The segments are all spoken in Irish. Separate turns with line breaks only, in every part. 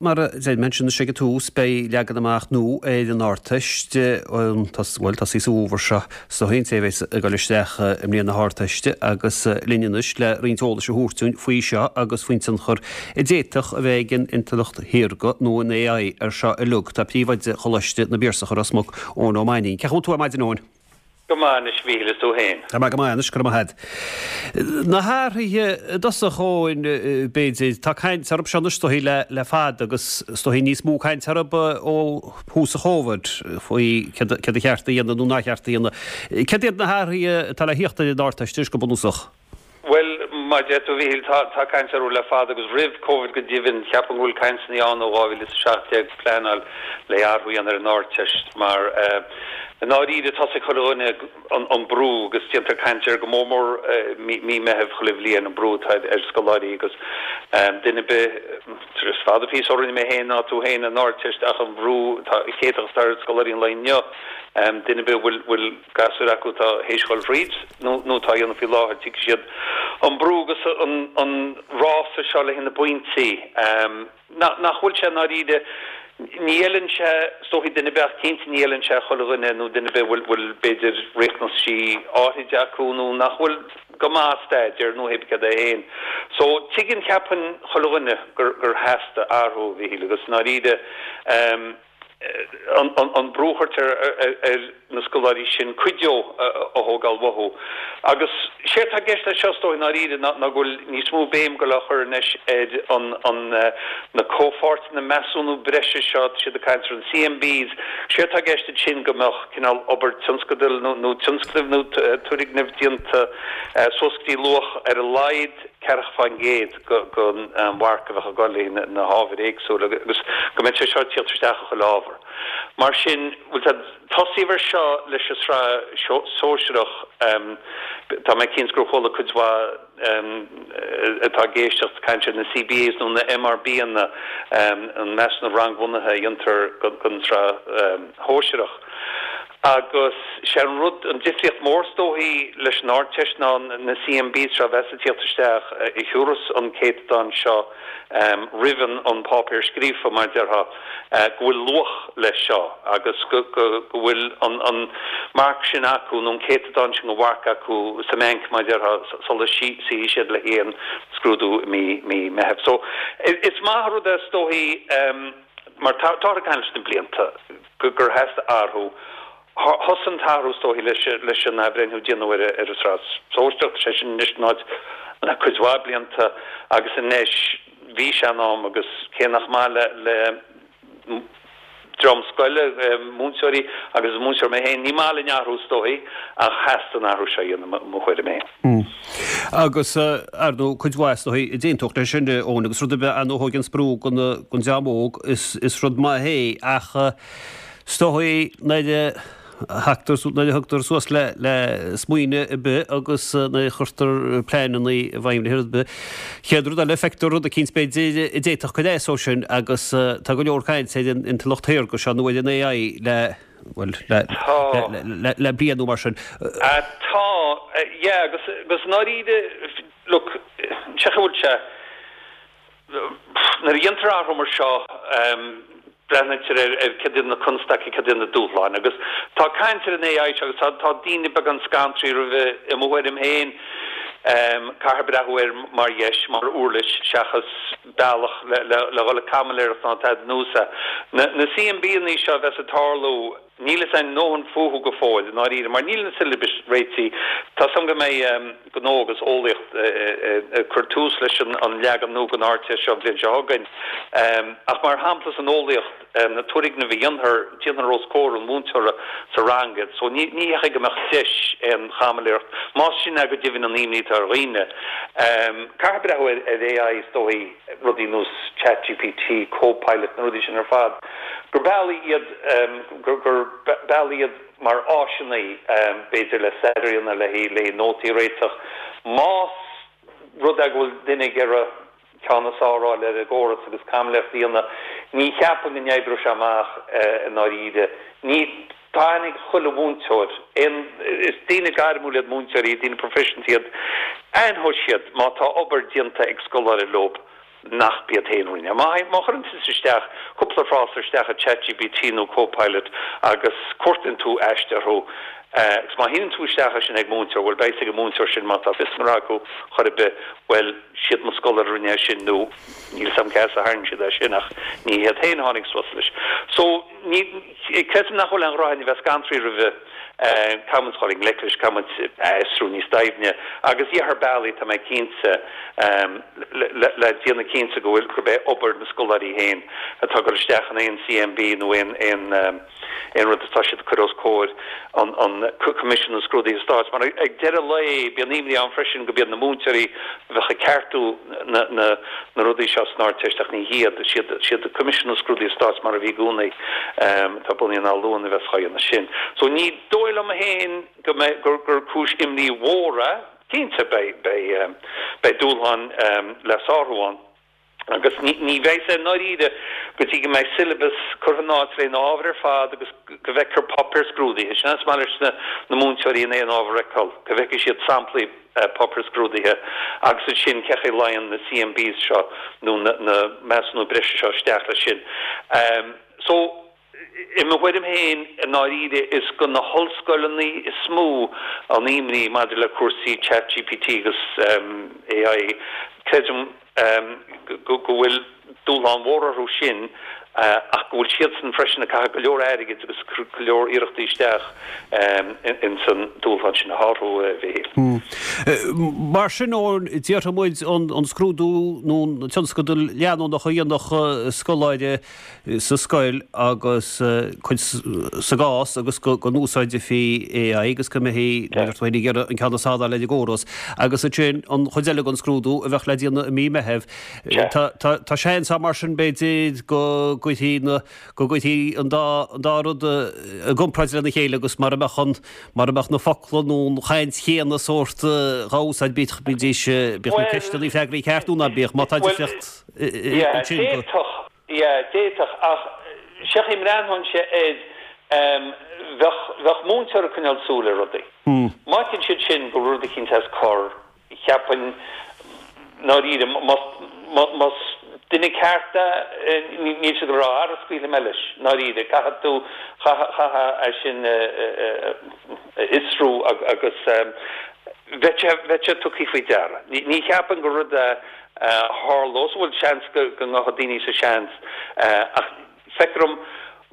Mar a deir mé ansin ag an tús, beidh leagan amach nua ar an Ardteist, bhuel, tosaí sa bhfómhar seo, is dóichí, an té a bheas ag dul isteach i mbliain na hArdteiste agus linn anois le roinnt eolais a thabhairt dúinn faoi seo agus faoin tionchar a d'fhéadfadh a bheith ag an Intleacht Shaorga nó an AI ar seo uilig, tá Príomhoide Choláiste na bPiarsach i Ros Muc, Eoin Ó Mainnín. Cén chaoi a bhfuil tú ar maidin, Eoin?
Go maith anois, a Mhíchíl, is tú féin?
Tá mé go maith anois, go raibh maith agat. Na hathruithe i dtosach, Eoin, b'fhéidir, tá caint orthu seo anois is dóichí le le fada agus is dóichí níos mó caint orthu ó thús an Chóvid faoi céard céard a cheart a dhéanamh nó nár cheart a dhéanamh. Céard iad na hathruithe atá le thíocht ar an Ardteist anois go bunúsach?
Bhuel, mar a deir tú, a Mhíchíl, tá, tá caint orthu le fada agus roimh Covid go deimhin. Cheapfainn go bhfuil cainteanna ann ó 2017 pleanáil le athrú a dhéanamh ar an Ardteist mar i ndáiríre tá's ag chuile dhuine an, an brú agus déantar caint air go mór mór mí, mí Meitheamh chuile bhliain, an brú atá ar, ar scoláirí agus duine ar bith, is fada píosa ó rinne mé féin ná tú féin an Ardteist ach an bhrú atá, céatach atá ar scoláirí an lae inniu, duine ar bith a bhfuil, bhfuil gasúir acu atá théis dhul thríd nó nó atá á dhéanamh faoi láthair, tuigfidh siad an brú agus an an rása seo le haghaidh na bpointí. Nach nach bhfuil sé i ndáiríre, ní fheileann sé, is dóichí duine ar bith ach cinnte ní fheileann sé chuile dhuine nó duine ar bith a bhfuil bhfuil b'fhéidir riachtanaisí áithrid acu nó nach bhfuil go maith ag staidéar nó hé céard é féin. So tuigeann cheapfainn chuile dhuine gur gur theastaigh athrú, a Mhíchíl, agus i ndáiríre an brú a chuirtear ar na scoláirí sin cuid de a thógáil uathu. Agus sé atá i gceist leis seo, is dóigh, i ndáiríre, ná go bhfuil níos mó béim ag dul á chur anois ar an na comhpháirteanna measúnú breise seo, tá siad ag caint ar an CMBs. Sé atá i gceist ansin go mbeadh cineál obair tionscadail nó tionscnaimh nó turgnaimh déanta suas go dtí luach ar a laghad 40%. den mharc a bheadh ag dul le na hábhair éagsúla agus go mbeadh sé seo ag tíocht isteach i chuile ábhar. Mar sin, bhuel tá tosaíodh ar seo leis an sraith sóisearach, tá mé cinnte gur chuala cuid mhaith atá ag éisteacht caint ar na CBAs nó na MRBanna, an measúnú rangbhunaithe a dhéantar don tsraith shóisearach. Agus sé an rud, an difríocht mhór is dóichí leis an Ardteist ná na CMBs seo a bheas ag tíocht isteach, a thiúrfas an céatadán seo roimh an páipéar scríofa, mar a déarfá, go bhfuil luach leis seo agus go bhfuil an marc sin acu nó an céatadán sin de mharc acu sa mbeainc, mar a déarfá, sula suífidh siad le haghaidh an scrúdú i mí Meithimh. So, is maith an rud é is dóichí mar táthar ag caint leis na blianta. gur theastaigh athrú. Thosaigh an t-athrú is dóichí leis an athbhreithniú a déanadh ar an tsraith sóisearach, tá sé sin anois in áit le cuid mhaith blianta agus anois bhí sé in am agus cé nach maith le dream scoile, múinteoirí agus is múinteoir mé féin, ní maith linn athrú is dóichí ach theastaigh an athrú seo a dhéanamh i mo thuairim féin.
Agus ar ndóigh cuid mhaith is dóichí a d'aontódh leis sin, Eoin, agus rud ar bith ar ndóigh a thógann brú den dream óg is rud maith é ach is dóichí nuair a thagtar, nuair a thugtar suas le smaoineamh ar bith agus nuair a chuirtear pleananna i bhfeidhm le rud ar bith, chéad rud eile feictear rud eicínt b'fhéidir a d'fhéadfadh cur as dó sin agus tá go leor cainte ar an intleacht shaorga seo nó ar an AI le bhuel, le, le bliain nó mar sin.
Tá, yeah, agus, agus i ndáiríre, look, sé chaoi a bhfuil sé, nuair a dhéantar athrú mar seo, breathnaítear ar, ar céard iad na constaicí, céard iad na dúshláin, agus tá caint ar an AI seo agus tá, tá daoine beagán scanraithe roimhe, i mo thuairim féin, caithfear breathnú air mar dheis, mar uirlis, seachas bealach le, le, le dhul ag caimiléireacht ná tada nós é. Na, na CMBanna seo a bheas ag tarlú, Níl fhios a'inn a ndóthain fúthu go fóill, i ndáiríre, mar níl na siollabais réitithe. Tá 's a'm go mbeidh Gnó agus Eolaíocht ag cur tús leis an leagan nua den Ardteist seo an bhliain seo chugainn. Ach mar shampla san eolaíocht, na turgnaimh a dhéanfar, déanfar os comhair an mhúinteora sa rang iad. So ní hé go mbeadh deis aon chaimiléireacht, más sin é go deimhin an imní atá ar dhaoine. Caithfear breathnú ar AI is dóigh, rudaí nós ChatGPT, Copilot, na rudaí sin ar fad, gur bealaí iad, gur bealaí iad mar áiseanna, b'fhéidir, le staidéar a dhéanamh, le haghaidh nótaí a réiteach. Más rud é go bhfuil duine ag iarraidh ceann is fearr a fháil ar an gcóras agus caimiléireacht a dhéanamh, ní cheapaim go n-oibreoidh sé amach i ndáiríre. Ní, tá aithne ag chuile mhúinteoir, aon, is daoine gairmiúil iad múinteoirí, daoine proifisiúnta iad, aithneoidh siad má tá obair déanta ag scoláire leo. nach b'iad féin a rinne. Má má chuireann tusa isteach cúpla frása isteach i ChatGPT nó Copilot agus cuartaíonn tú aiste orthu agus má shíneann tú isteach é sin ag múinteoir, bhuel beidh a fhios ag an múinteoir sin má tá fios a ngnó acu chor ar bith, bhuel siad mo scoláire a rinne é sin nó níl 'fhios a'm cá as a tharraing siad é sin ach ní hiad féin a tháinig suas leis. So ní, creidim nach bhfuil aon dhrochainne a bheith scanraithe roimhe. Caithfidh muid dul i ngleic leis, caithfidh muid a fhiosrú níos doimhne agus gheofar bealaí, tá mé cinnte, le déanamh cinnte go bhfuil, gurb é obair na scoláirí féin atá ag dul isteach in aon CMB nó aon, aon, aon rud atá siad ag cur os comhair an, an Coimisiún na Scrúduithe Stáit. Mar ag deireadh lae, bíonn imní ann freisin go b'iad na múinteoirí a bheadh ag ceartú na, na, na rudaí seo san Ardteist ach ní hiad, is iad, is iad Coimisiún na Scrúduithe Stáit mar a bhí i gcónaí atá bunaithe in Áth Luain a bheas á dhéanamh sin. So ní dóigh liom féin go mbeidh, gur, gur cúis imní mhór é. Cinnte beidh, beidh, beidh dúshláin le sárú ann agus ní, ní bheidh sé i ndáiríre go dtí go mbeidh syllabus curtha in áit le na ábhair ar fad agus go bhfeicfear páipéar scrúdaithe. Sin é is maith leis na, na múinteoirí in aon ábhar a fheiceáil, go bhfeicfidh siad samplaí páipéar scrúdaithe agus ansin cé chaoi a luíonn na CMBs seo nó na measúnú breise seo isteach leis sin. So, i mo thuairim féin, i ndáiríre, is go na hollscoileanna is mó an imní maidir le cúrsaí ChatGPT agus AI. Creidim go bhfuil dúshlán mhór orthu sin ach go bhfuil siadsan freisin ag caitheamh go leor airgid agus ag cur go leor iarrachtaí isteach ins an dúshlán sin a shárú, a Mhichíl.
Mar sin, Eoin, déarfaidh muid an scrúdú nó an tionscadal leanúnach a dhéanfadh scoláire sa scoil agus cuid sa gcás agus go n-úsáidfí AI agus go mbeifí, mar a deir tú féin, ag iarraidh an ceann is fearr a fháil ar an gcóras. Agus ansin an chuid eile den scrúdú a bheadh le déanamh i mí Meithimh. Tá seans ann mar sin, b'fhéidir, go gcuirfí na, go gcuirfí an dá, an dá rud i gcomparáid lena chéile agus mara mbeadh an, mara mbeadh na focla nó an chaint chéanna sórt dhá úsáid, bíodh, bídís, bíodh na ceisteanna freagraí ceart nó ná bíodh, má tá difríocht ansin
go. Yeah, d'fhéadfadh, ach sé chaoi a mbreathnóinnse air, bheadh, bheadh múinteoir ag coinneáil súil ar rudaí. Má fheiceann siad sin go bhfuil rud eicínt as cor, cheapfainn, ndáiríre, más, más duine ceart é, níl siad ag rá, ara scaoilfidh mé leis, ndáiríre, caithfidh tú, chaithfeá, chaithfeá é sin a fhiosrú agus bheadh sé, bheadh sé tugtha faoi deara. Ní cheapfainn gur rud é a tharlós. Bhuel, seans go ngabhfadh daoine sa seans, ach feictear dom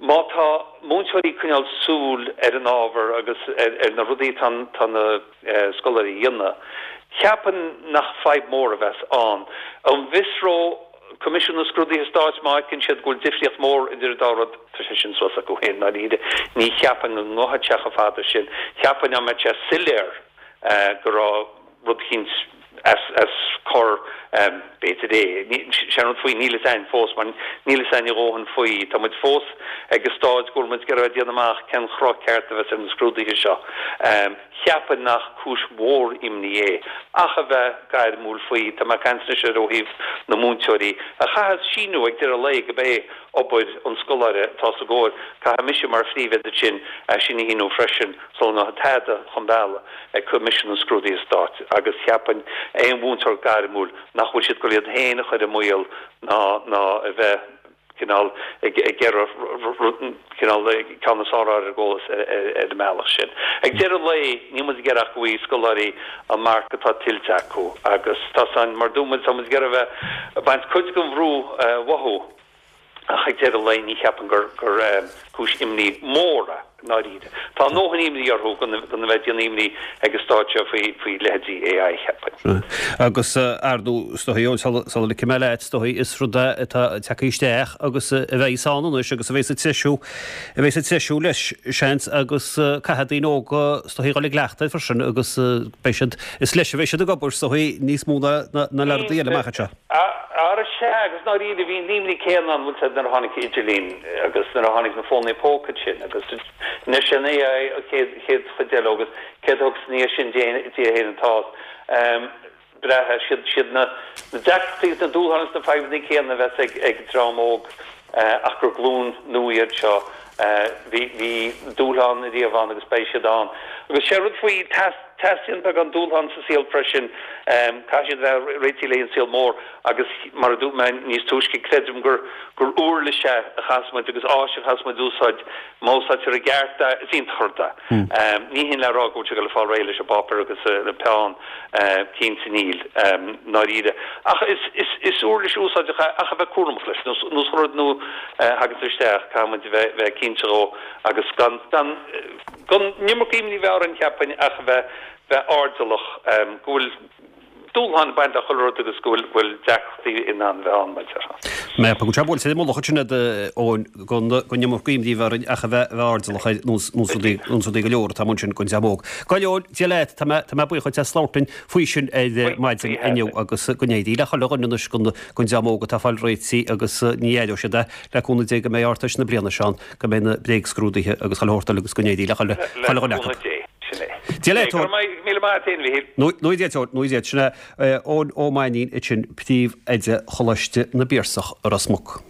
má tá múinteoirí ag coinneáil súil ar an ábhar agus ar na rudaí atá na scoláirí a dhéanamh, cheapfainn nach fadhb mhór a bheas ann. An bhfiosródh Coimisiún na Scrúduithe Stáit má fheiceann siad go bhfuil difríocht mhór idir an dá rud? Tá sé sin suas acu féin, ndáiríre. Ní cheapfainn go ngabhfadh sé chomh fada sin. Cheapfainn dá mbeadh sé soiléir go raibh rud eicínt as cor, b'fhéidir é. Sé an rud faoi, níl fhios a'inn fós, mar níl fhios a'inn a dhóthain faoi. Tá muid fós ag an stáid go bhfuil muid ag iarraidh déanamh amach cén chruth ceart a bheas ar na scrúduithe seo. Cheapfainn nach cúis mhór imní é, ach a bheith gairmiúil faoi. Tá mé ag caint anois ar ó thaobh na múinteoirí, a chaithfeas síniú ag deireadh lae go b'é obair an scoláire atá os a gcomhair. Caithfidh mise mar phríomhoide sin é sin a shíniú freisin sula ngabhfaidh tada chun bealaigh. ag Coimisiún na Scrúduithe Stáit agus cheapfainn aon mhúinteoir gairmiúil nach bhfuil siad ag dul iad féin a chur i mbaol ná ná a bheith cineál ag ag iarraidh cineál ceann is fearr a fháil ar an gcóras ar an mbealach sin. Ag deireadh lae níl muid ag iarraidh ach go bhfaighidh scoláirí an marc atá tuillte acu agus tá san mar dúirt muid tá muid ag iarraidh a bheith ag baint cuid den bhrú uathu. Ach ag deireadh lae ní cheapaim gur cúis imní mhór é, i ndáiríre. Tá a ndóthain imní orthu gan a bheith ag déanamh imní ag an stáid seo faoi leithéidí AI,
cheapfainn. Agus, ar ndóigh, is dóigh, Eoin, sula ligfidh mé leat, is dóigh, is rud é atá tagtha isteach agus a bheidh ann anois agus a bheidh ag treisiú, a bheidh ag treisiú leis, seans, agus caithfidh daoine óga, is dóigh, a dhul i gcleachtadh air freisin agus beidh siad, is leis a bheidh siad ag obair, is dóigh, níos mó ná le rudaí eile amach anseo.
Ara sea, agus ndáiríre, bhí an imní céanna ann, bhfuil 's a'd, nuair a tháinig idirlíon agus nuair a tháinig na fónaí póca sin agus anois an AI an chéad, chéad chuid eile agus céard a thiocfas ina dhiaidh sin, Dia féin atá breithe, siad, siad na, na deacrachtaí agus na dúshláin agus na fadhbanna céanna a bheas ag, ag dream óg ach gur glúin nua iad seo. Bhí, bhí dúshlán ariamh ann agus beidh siad ann. Agus sé rud faoi, teastaíonn beagán dúshlán sa saol freisin, caithfidh siad a bheith réitithe le an saol mór agus mar a dúirt mé níos túisce, creidim gur gur uirlis é a chaithfeas muid agus áis a chaithfeas muid úsáid, má úsáidtear i gceart é, is iontach an rud é. Ní hin le rá go bhfuil sé ag dul ag fáil réidh leis an bpáipéar agus an peann, cinnte níl, ndáiríre. Ach is uirlis úsáideach é ach a bheith cúramach leis, nós chuile rud nua a thaganns isteach, caithfidh muid a bheith cinnte dhó agus gan, gan, gan an iomarca imní a bheith orainn, cheapfainn, ach a bheith, bheith airdeallach go bhfuil dúshláin ag baint le chuile rud agus go bhfuil, bhfuil deacrachtaí in ann bheith ann, mar a déarfá.
Mé go bhfuil sé buailte ar an mullach ansin agat, Eoin, gan, gan an iomarca imní a bheith orainn ach a bheith, bheith airdeallach ar nós, nós rudaí, nós rudaí go leor atá amuigh ansin don dream óg. Gabh Eoin, Dia leat, tá mé, tá mé buíoch duit as labhairt linn faoi sin ar maidin inniu agus go n-éirí le chuile dhuine anois don, don dream óg atá ag fáil réitithe agus ní aireoidh siad é le cúnamh Dé go mbeidh Ardteist na bliana seo ann. go mbeidh na bréagscrúduithe agus chuile shórt eile agus go n-éirí le chuile dhuine acu.
Dia leat, Eoin.
Nó Dia leat, Eoin. Nó Dia leat. Sin é Eoin Ó Mainnín ansin, Príomh-Oide Choláiste na bPiarsach i Ros Muc.